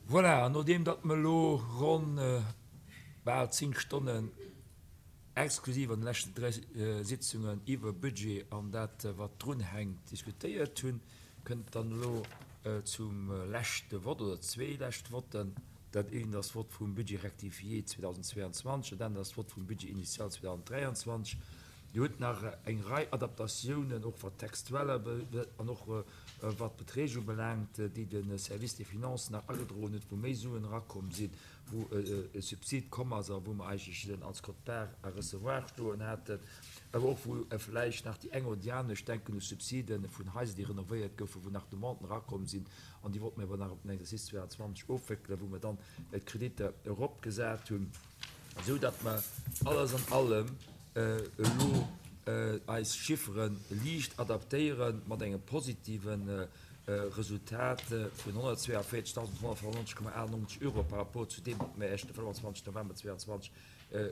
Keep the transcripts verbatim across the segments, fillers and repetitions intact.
Voilà, an nodeem datt mer elo ronn bal zéng Stonnen exklusiv an de leschten dräi Sitzungen iwwer Budget an dat, wat drunhänkt, diskutéiert hunn, kënnt et dann elo zum leschte Vott oder zwee lescht Votten. Dat eent ass d'Vott vum Budget rectifié zweedausendzweeanzwanzeg, dat anert ass d'Vott vum Budget initial zweedausenddräianzwanzeg. Dir hutt nach eng Rei Adaptatiounen, och wat d'Textueller an och wat d'Beträg ubelaangt, déi de Service des Finances nach agedroen huet, wou méi Suen erakomm sinn, wou e Subsid komm ass a wou mer eigentlech als Quote-part à recevoir stoen haten, awer och wou vläicht nach déi eng oder déi aner, ech denken u Subside vun Haiser, déi renovéiert goufen, wou nach Demanden erakomm sinn an déi wollte mer awer nach op den Exercice zweeandzwanzeg ofwéckelen, wou mer dann d'Kreditter eropgesat hunn, esou datt mer alles an allem elo eis Chiffere liicht adaptéiere mat engem positive Resultat vun honnertzweeavéierzegdausendhonnertfënnefennonzeg Komma achtennonzeg Euro par rapport zu deem, wat mir Iech de fënnfanzwanzeg November zweeandzwanzeg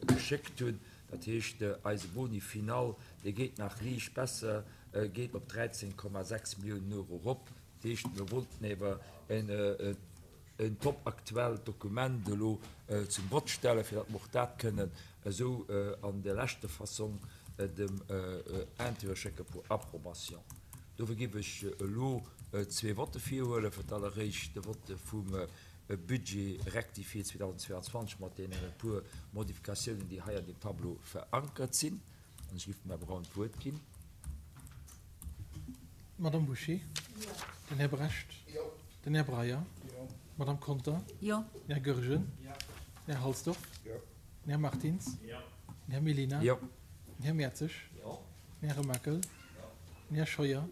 geschéckt hunn. Dat heescht, eise Boni final, dee geet nach liicht besser, geet op dräizéng Komma sechs Milliounen Euro erop. Dat heescht, mir wollten ewer en top aktuellt Dokument elo zum Vott stellen, fir datt mer och dat kënnen esou an der leschter Fassong dem Intérieur schécke pour approbation. Dofir géif ech elo zwee Votte virhuelen. Fir d'alleréischt de Votte vum Budget rectifié zweedausendzweeanzwanzeg mat deenen e puer Modifikatiounen, déi hei an deem Tableau verankert sinn. An ech géif dem Här Braun d'Wuert ginn. D'Madame Bouché? Den Här Brecht? Den Här Breyer? D'Madame Conter? Den Här Goergen? Den Här Halsdorf? Den Här Martins? Den Här Mellina? Den Här Mertzig? Den Här Remakel? Den Här Scheuer?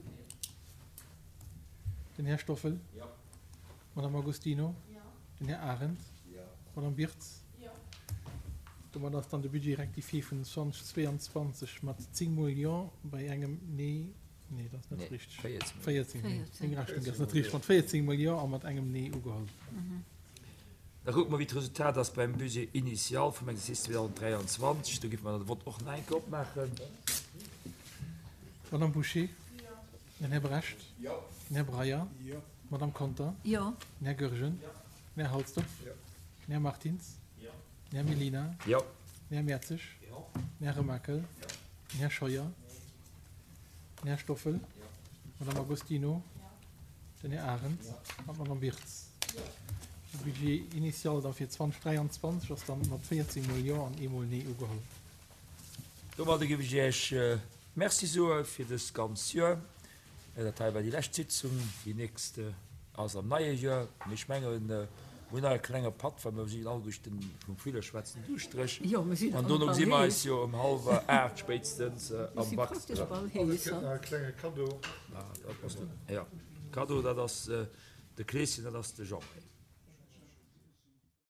Den Här Stoffel? D'Madame Agostino? Den Här Arendt? D'Madame Birtz? Domat ass dann de Budget rectifié vun zweedausendzweianzwanzeg mat zéng Mol Jo bei engem Nee, nee, dat ass net richteg, véierzéng, nee, meng Rechnung ass net richteg, mat véierzéng Mol Jo a mat engem Nee ugeholl. Da kucke mer, wéi d'Resultat ass beim Budget initial vum Exercice zweedausenddräianzwanzeg. Do géife mer dann de Vott och nach eng Kéier opmaachen. D'Madame Bouché? Den Här Brecht? Den Här Breyer? D'Madame Conter? Den Här Goergen? Den Här Halsdorf? Den Här Martins? Den Här Mellina? Den Här Mertzig? Den Här Remakel? Den Här Scheuer? Den Här Stoffel? D'Madame Agostino? Den Här Arendt an d'Madame Birtz. De Budget initial da fir zweedausenddräianzwanzeg ass dann mat véierzéng Mol Jo an ee Mol Nee ugeholl. Domadder géif ech Iech Merci soe fir dëst ganz Joer. Dat hei war déi lescht Sitzung. Déi nächst ass am neie Joer. Mee ech mengen, mir hunn nach e klenge Patt, well mir sinn alleguerten vum Villerschwätzen duuschtereg. An dono gesi mer eis jo ëm hallwer aacht spéitstens am Wax erëm. An et gëtt nach e klenge Kaddo. Jo, Kaddo, dat ass de Kleeschen, dat ass de Jean-Marie.